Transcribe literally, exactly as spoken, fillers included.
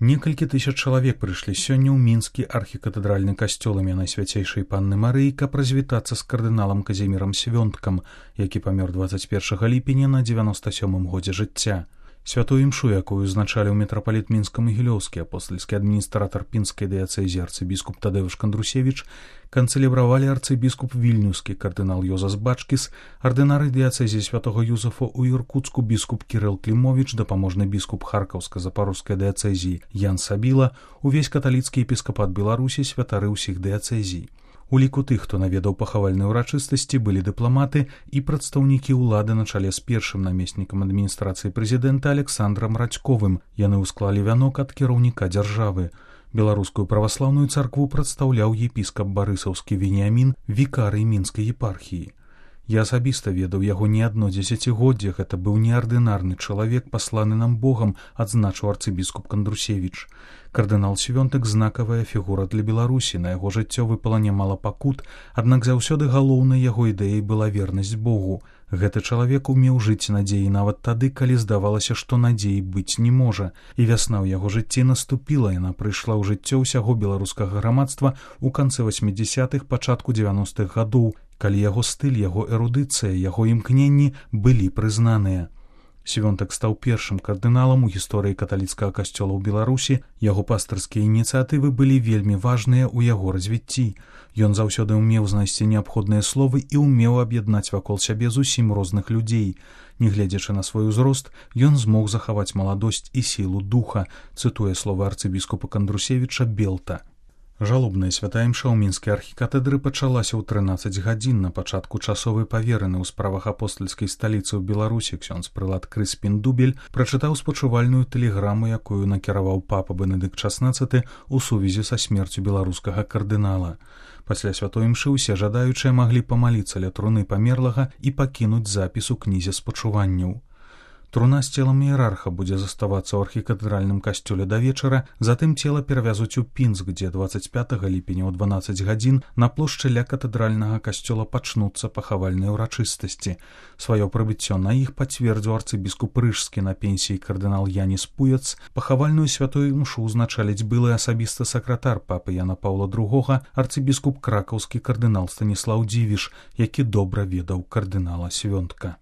Некалькі тысяч чалавек прыйшлі сёння ў мінскі архікатэдральны касцёл імя Найсвяцейшай Панны Марыі, каб развітацца з кардыналам Казімірам Свёнткам, які памёр дваццаць першага ліпеня на дзевяноста сёмым годзе жыцця. Святую імшу, якую узначаліў мітрапаліт мінска-магілёўскі апостальскі адміністратар пінскай дыяцэзіі арцыбіскуп Тадэўш Кандрусевіч, канцэлябравалі арцыбіскуп вільнюскі кардынал Йозас Бачкіс, ардынары дыяцэзіі святого Юзафа ў Іркуцку біскуп Кірыл Клімовіч, дапаможны біскуп Харкаўска-Запарожскай дыяцэзіі Ян Сабіла, увесь каталіцкі епіскапат Беларусі, святары ўсіх дыяцэзій. У ліку тых, хто наведаў пахавальныя ўрачыстасці, былі дыпламаты і прадстаўнікі ўлады на чале з першым намеснікам адміністрацыі прэзідэнта Александрам Радзьковым. Яны ўсклалі вянок ад кіраўніка дзяржавы. Беларускую праваслаўную царкву прадстаўляў епіскап барысаўскі Веніамін, вікарый мінскай епархіі. Я асабіста ведаў яго не адно дзесяцігоддзе, гэта быў неардынарны чалавек, пасланы нам Богам, адзначыў арцыбіскуп Кандрусевіч. Кардынал Свёнтак – знакавая фігура для Беларусі, на яго жыццё выпала нямала пакут, аднак заўсёды галоўнай яго ідэяй была вернасць Богу. Гэты чалавек умеў жыць надзеі нават тады, калі здавалася, што надзеі быць не можа. І вясна ў яго жыцці наступіла, яна прыйшла ў жыццё ўсяго беларускага грамадства ў канцы васьмідзясятых, пачатку дзевяностых гадоў, калі яго стыль, яго эрудыцыя, яго імкненні былі прызнаныя. Свёнтак стаў першым кардыналам у гісторыі каталіцкага касцёла ў Беларусі, яго пастырскія ініцыятывы былі вельмі важныя ў яго развіцці. Ён заўсёды ўмеў знайсці неабходныя словы і ўмеў аб'яднаць вакол сябе зусім розных людзей. Нягледзячы на свой узрост, ён змог захаваць маладосць і сілу духа, цытуе словы арцыбіскупа Кандрусевіча Белта. Жалобная святая імша ў мінскай архікатэдры пачалася ў трынаццаць гадзін на пачатку часовай павераны ў справах апостальскай сталіцы ў Беларусі. Ксёндз прылад Крыспін Дубель прачытаў спачувальную тэлеграму, якую накіраваў папа Бенедыкт шаснаццаты ў сувязі са смерцю беларускага кардынала. Пасля святой імшы ўсе жадаючыя маглі памаліцца ля труны памерлага і пакінуць запіс у кнізе спачуванняў. Труна з целам іерарха будзе заставацца ў архікатэдральным касцёле да вечара, затым цела перавязуць у Пінск, дзе дваццаць пятага ліпеня ў дванаццаць гадзін на плошчы ля катэдральнага касцёла пачнуцца пахавальныя ўрачыстасці. Сваё прыбыццё на іх пацвердзіў арцыбіскуп рыжскі на пенсіі кардынал Яніс Пуяц. Пахавальную святую імшу ўзначаліць былы асабісты сакратар папы Яна Паўла другога, арцыбіскуп кракаўскі кардынал Станіслаў Дзівіш, які добра ведаў кардынала Свёнтка.